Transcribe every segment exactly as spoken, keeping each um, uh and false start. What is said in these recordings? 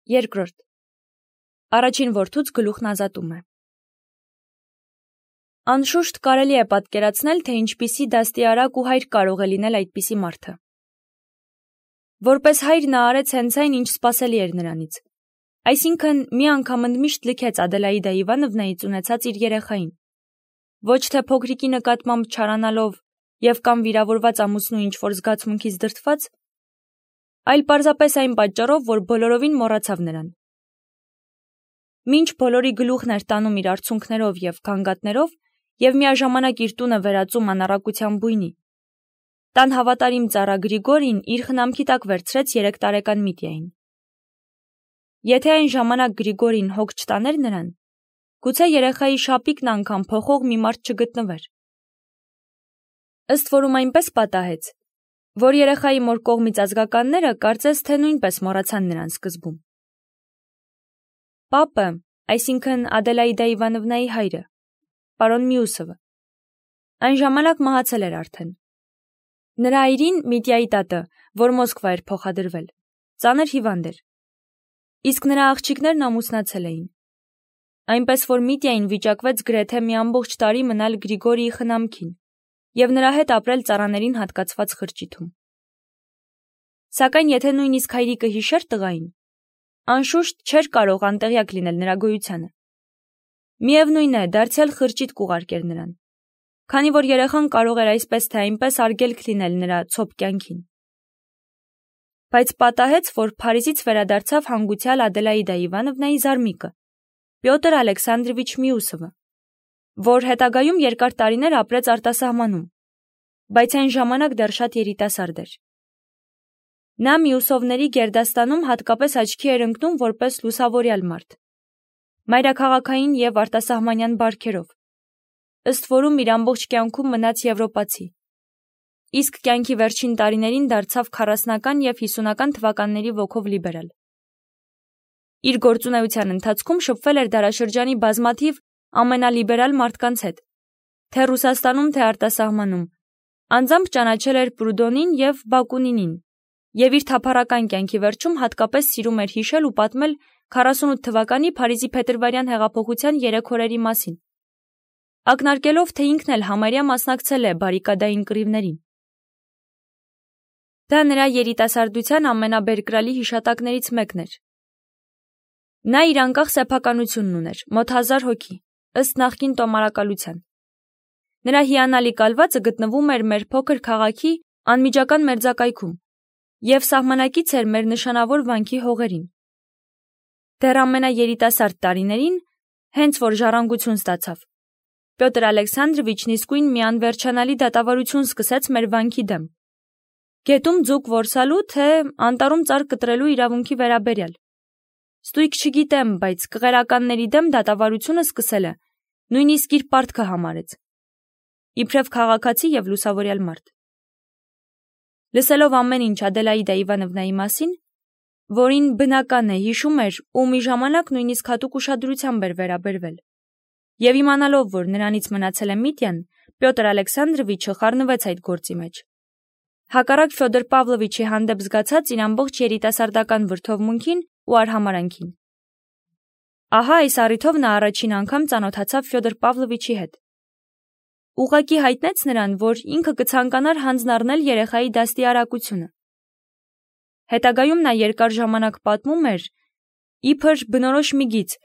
Երկրորդ. Առաջին որդուց գլուխն ազատում է։ Անշուշտ կարելի է պատկերացնել, թե ինչպիսի դաստիարակ ու հայր կարող է լինել այդպիսի մարդը։ Որպես հայր նա արեց հենց այն, ինչ սպասելի էր նրանից։ Այսինքն մի անգամ ընդմիշտ լքեց Ադելաիդա Իվանովնայից ունեցած իր երեխային։ Ոչ թե փոքրիկի նկատմամբ չարանալով և կամ վիրավորված ամուսնու ինչ-որ զգացմունքից դրդված, այլ պարզապես այն պատճառով, որ բոլորովին մոռացավ նրան։ Մինչ բոլորի գլուխն էր տանում իր արցունքներով և գանգատներով և միաժամանակ իր տունը վերածում անառակության բույնի, տան հավատարիմ ծառա Գրիգորին իր խնամքի տակ վերցրեց երեք տարեկան Միտյային։ Եթե այն ժամանակ Գրիգորին հոգ չտաներ նրան, գուցե երեխայի շապիկն անգամ փոխող մի մարդ չգտնվեր։ Ըստ որում այնպես պատահեց, որ երեխայի մոր կողմից ազգականները կարծես թե նույնպես մոռացան նրան սկզբում։ Պապը, այսինքն Ադելաիդա Իվանովնայի հայրը, պարոն Մյուսովը, այն ժամանակ մահացել էր արդեն։ Նրա այրին Միտյայի տատը, որ Մոսկվա էր փոխադրվել, ծանր հիվանդ էր, իսկ նրա աղջիկներն ամուսնացել էին։ Այնպես որ Միտյային վիճակվեց գրեթե մի ամբողջ տարի մնալ Գրիգորիի խնամքին և նրա հետ ապրել ծառաներին հատկացված խրճիթում։ Սակայն եթե նույնիսկ հայրիկը հիշեր տղային, անշուշտ չէր կարող անտեղյակ լինել նրա գոյությանը։ Միևնույն է, դարձյալ խրճիթ կուղարկեր նրան, քանի որ երեխան կարող էր այսպես թե այնպես արգելք լինել նրա ցոփ կյանքին։ Բայց պատահեց, որ Փարիզից վերադարձավ հանգուցյալ Ադելաիդա Իվանովնայի զարմիկը, Պյոտր Ալեքսանդրովիչ Մյուսովը, որ հետագայում երկար տարիներ ապրեց արտասահմանում, բայց այն ժամանակ դեռ շատ երիտասարդ էր։ Նա Մյուսովների գերդաստանում հատկապես աչքի էր ընկնում որպես լուսավորյալ մարդ, մայրաքաղաքային և արտասահմանյան բարքերով, ըստ որում իր ամբողջ կյանքում մնաց եվրոպացի, իսկ կյանքի վերջին տարիներին դարձավ քառասնական և հիսունական թվականների ոգով լիբերալ։ Իր գործունեության ընթացքում շփվել էր դարաշրջանի բազմաթիվ ամենալիբերալ մարդկանց հետ, թե Ռուսաստանում, թե արտասահմանում, անձամբ ճանաչել էր Պրուդոնին և Բակունինին, և իր թափառական կյանքի վերջում հատկապես սիրում էր հիշել ու պատմել քառասունութ թվականի Փարիզի փետրվարյան հեղափոխության երեք օրերի մասին, ակնարկելով, թե ինքն էլ համարյա մասնակցել է բարիկադային կռիվներին։ Դա նրա երիտասարդության ամենաբերկրալի հիշատակներից մեկն էր։ Նա իր անկախ սեփականությունն ուներ, մոտ հազար հոգի, ըստ նախկին տոմարակալության։ Նրա հիանալի կալվածը գտնվում էր մեր փոքր քաղաքի անմիջական մերձակայքում և սահմանակից էր մեր նշանավոր վանքի հողերին։ Դեռ ամենաերիտասարդ տարիներին, հենց որ ժառանգություն ստացավ, Պյոտր Ալեքսանդրովիչն իսկույն մի անվերջանալի դատավարություն սկսեց մեր վանքի դեմ, գետում ձուկ որսալու, թե անտառում ծառ կտրելու իրավունքի վերաբերյալ։ Ստույգ չգիտեմ, բայց կղերականների դեմ դատավարությունը սկսելը նույնիսկ իր պարտքը համարեց, իբրև քաղաքացի և լուսավորյալ մարդ։ Լսելով ամեն ինչ Ադելաիդա Իվանովնայի մասին, որին բնական է հիշում էր ու մի ժամանակ նույնիսկ հատուկ ուշադրությամբ էր վերաբերվել, և իմանալով, որ նրանից մնացել է Միտյան, Պյոտր Ալեքսանդրովիչը խառնվեց այդ գործի մեջ։ Հակառակ Ֆյոդոր Պավլովիչի հանդեպ զգացած իր ամբողջ երիտասարդական վրդովմունքին ու արհամարանքին։ Ահա այս առիթով նա առաջին անգամ ծանոթացավ Ֆյոդոր Պավլովիչի հետ։ Ուղղակի հայտնեց նրան, որ ինքը կցանկանար հանձն առնել երեխայի դաստիարակությունը։ Հետագայում նա երկար ժամանակ պատմում էր, իբր բնորոշ մի գիծ,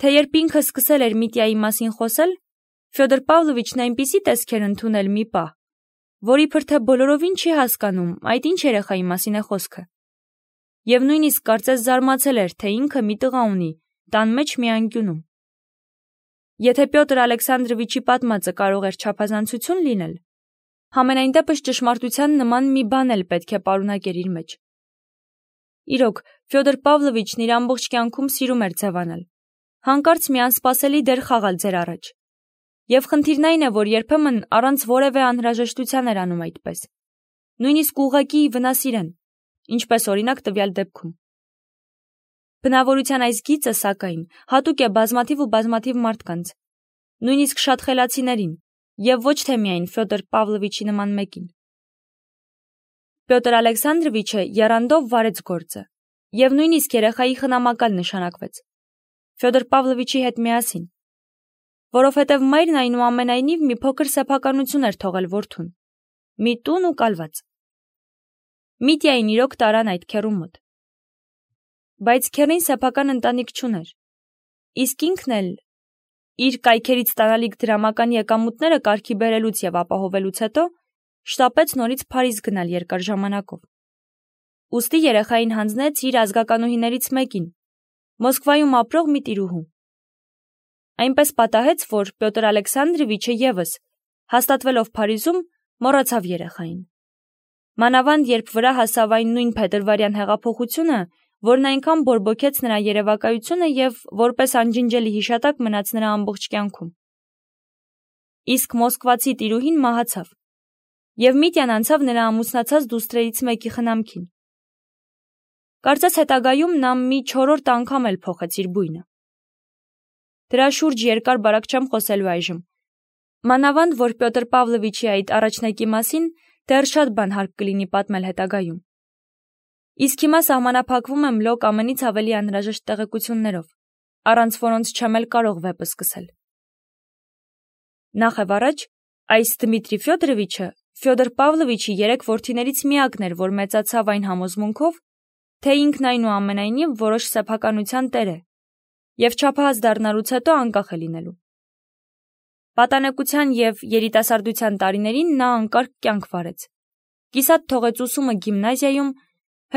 թե երբ ինքը սկսել էր Միտյայի մասին խոսել, Ֆյոդոր Պավլովիչն այնպիսի տեսք էր ընդունել մի պահ, որ իբր թե բոլորովին չի հասկանում, այդ ինչ երեխայի մասին է խոսքը, և նույնիսկ կարծես զարմացել էր, թե ինքը մի տղա ունի, տան մեջ մի անկյունում։ Եթե Պյոտր Ալեքսանդրովիչի պատմածը կարող էր չափազանցություն լինել, համենայն դեպս ճշմարտության նման մի բան էլ պետք է պարունակեր իր մեջ։ Իրոք, Ֆյոդոր Պավլովիչն իր ամբողջ կյանքում սիրում էր ձևանալ, հանկարծ մի անսպասելի դեր խաղալ ձեր առաջ, և խնդիրն այն է, որ երբեմն առանց որևէ անհրաժեշտության էր անում այդպես, նույնիսկ ուղղակի վնասիրեն, ինչպես օրինակ տվյալ դեպքում։ Բնավորության այս գիծը, սակայն, հատուկ է բազմաթիվ ու բազմաթիվ մարդկանց, նույնիսկ շատ խելացիներին, և ոչ թե միայն Ֆյոդոր Պավլովիչի նման մեկին։ Պյոտր Ալեքսանդրովիչը եռանդով վարեց գործը, Եվ նույնիսկ երեխայի խնամակալ նշանակվեց, Ֆյոդոր Պավլովիչի հետ միասին, որովհետև մայրն այնուամենայնիվ մի փոքր սեփականություն էր թողել որդուն, մի տուն ու կալված։ Միտյային իրոք տարան այդ քեռու մոտ։ Բայց քեռին սեփական ընտանիք չուներ, իսկ ինքն էլ իր կայքերից ստանալիք դրամական եկամուտները կարգի բերելուց եւ ապահովելուց հետո շտապեց նորից Փարիզ գնալ երկար ժամանակով։ Ուստի երեխային հանձնեց իր ազգականուհիներից մեկին, Մոսկվայում ապրող մի տիրուհու։ Այնպես պատահեց, որ Պյոտր Ալեքսանդրովիչը եւս, հաստատվելով Փարիզում, մոռացավ երեխային։ Մանավանդ երբ վրա հասավ այն նույն փետրվարյան հեղափոխությունը, որն այնքան բորբոքեց նրա երևակայությունը եւ որպես անջնջելի հիշատակ մնաց նրա ամբողջ կյանքում։ Իսկ մոսկվացի տիրուհին մահացավ, եւ Միտյան անցավ նրա ամուսնացած դուստրերից մեկի խնամքին։ Կարծես հետագայում նա մի չորրորդ անգամ էլ փոխեց իր բույնը։ Դրա շուրջ երկար բարակ չեմ խոսելու այժմ։ Մանավանդ, որ Պյոտր Պավլովիչի այդ առաջնակի մասին դեռ շատ բան հարկ կլինի պատմել հետագայում։ Իսկ հիմա սահմանափակվում եմ լոկ ամենից ավելի անհրաժեշտ տեղեկություններով, առանց որոնց չեմ էլ կարող վեպը սկսել։ Նախ եւ առաջ, այս Դմիտրի Ֆյոդորովիչը Ֆյոդոր Պավլովիչի երեք որդիներից միակն էր, որ մեծացավ այն համոզմունքով, թե ինքն այնուամենայնիվ որոշ սեփականության տեր է եւ չափահաս դառնալուց հետո անկախ է լինելու։ Պատանեկության եւ երիտասարդության տարիներին նա անկարգ կյանք վարեց։ Կիսատ թողեց ուսումը գիմնազիայում,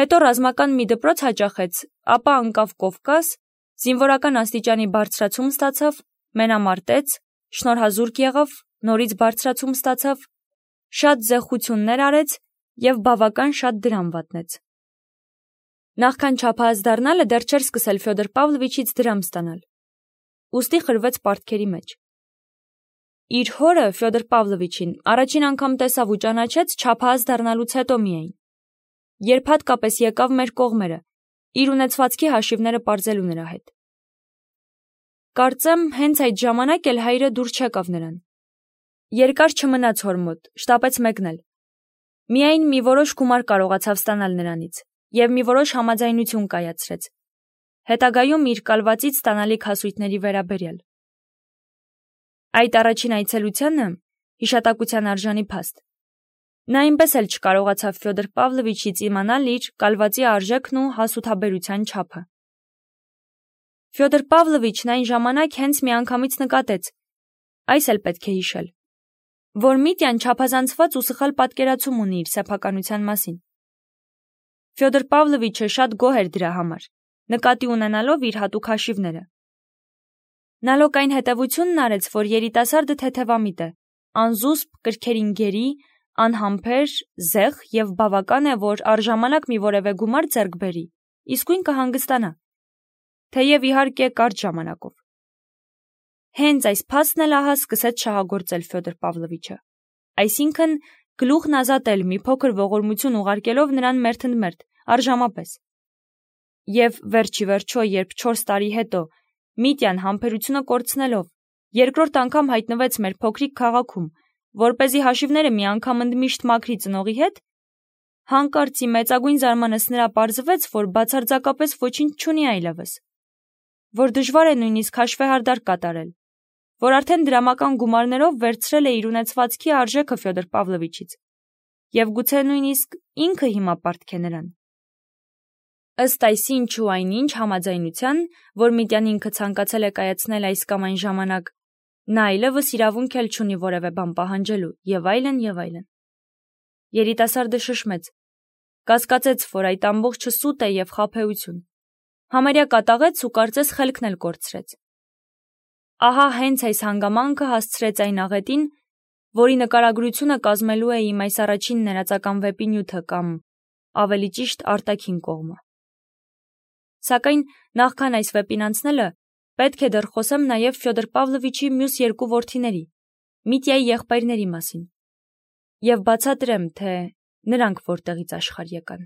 հետո ռազմական մի դպրոց հաճախեց, ապա անկավ Կովկաս, զինվորական աստիճանի բարձրացում ստացավ, մենամարտեց, շնորհազուրկ եղավ, նորից բարձրացում ստացավ, շատ զեղչություններ արեց եւ բավական շատ դրամ վատնեց։ Նախքան չափահաս դառնալը դեռ չէր սկսել Ֆյոդոր Պավլովիչից դրամ ստանալ։ Ուստի խրվեց պարտքերի մեջ։ Իր հորը Ֆյոդոր Պավլովիչին առաջին անգամ տեսավ ու ճանաչեց չափահաս դառնալուց հետո միայն, երբ հատկապես եկավ մեր կողմերը, իր ունեցվածքի հաշիվները պարզելու նրա հետ։ Կարծեմ, հենց այդ ժամանակ էլ հայրը դուր չեկավ նրան։ Երկար չմնաց հոր մոտ, շտապեց մեկնել։ Միայն մի որոշ գումար կարողացավ ստանալ նրանից եւ մի որոշ համաձայնություն կայացրեց, հետագայում իր կալվածից ստանալիք հասույթների վերաբերյալ։ Այդ առաջին այցելությանը հիշատակության արժանի փաստ։ Նա այնպես էլ չկարողացավ Ֆյոդոր Պավլովիչից իմանալ իր կալվածի արժեքն ու հասութաբերության չափը։ Ֆյոդոր Պավլովիչն այն ժամանակ հենց միանգամից նկատեց, այս էլ պետք է հիշել, որ Միտյան չափազանցված ու սխալ պատկերացում ունի իր սեփականության մասին։ Ֆյոդոր Պավլովիչը շատ գոհ էր դրա համար, նկատի ունենալով իր հատուկ հաշիվները։ Նա լոկ այն հետևությունն արեց, որ երիտասարդը թեթևամիտ է, անզուսպ, կրքերին գերի, անհամբեր, զեղ եւ բավական է, որ առժամանակ մի որևէ գումար ձեռք բերի, իսկույն կհանգստանա, թեև իհարկե կարճ ժամանակով։ Հենց այս փաստն էլ ահա սկսեց շահագործել Ֆյոդոր Պավլովիչը, այսինքն գլուխն ազատել մի փոքր ողորմություն ուղարկելով նրան մերթընդմերթ, արժամապես։ Եվ վերջի վերջո, երբ չորս տարի հետո Միտյան համբերությունը կորցնելով երկրորդ անգամ հայտնվեց մեր փոքրիկ քաղաքում, որպեսզի հաշիվները մի անգամ ընդմիշտ մաքրի ծնողի հետ, հանկարծի մեծագույն զարմանս նրա պարզվեց, որ բացարձակապես ոչինչ չունի այլևս, որ դժվար է նույնիսկ հաշվեհարդար կատարել, որ արդեն դրամական գումարներով վերցրել է իր ունեցվածքի արժեքը Ֆյոդոր Պավլովիչից, եւ գուցե նույնիսկ ինքը հիմա պարտք է նրան։ Ըստ այսինչ ու այնինչ համաձայնության, որ Միտյան ինքը ցանկացել է կայացնել այս կամ այն ժամանակ, նա այլևս իրավունք էլ չունի որևէ բան պահանջելու, եւ այլն, եւ այլն։ Երիտասարդը շշմեց, կասկածեց, որ այդ ամբողջը սուտ է եւ խաբեություն, համարյա կատաղեց ու կարծես խելքն էլ կորցրեց։ Ահա հենց այս հանգամանքը հասցրեց այն աղետին, որի նկարագրությունը կազմելու է իմ այս առաջին ներածական վեպի նյութը կամ, ավելի ճիշտ, արտաքին կողմը։ Սակայն նախքան այս վեպին անցնելը, պետք է դեռ խոսեմ նաև Ֆյոդոր Պավլովիչի մյուս երկու որդիների, Միտյայի եղբայրների մասին, եւ բացատրեմ, թե նրանք որտեղից աշխարհ եկան։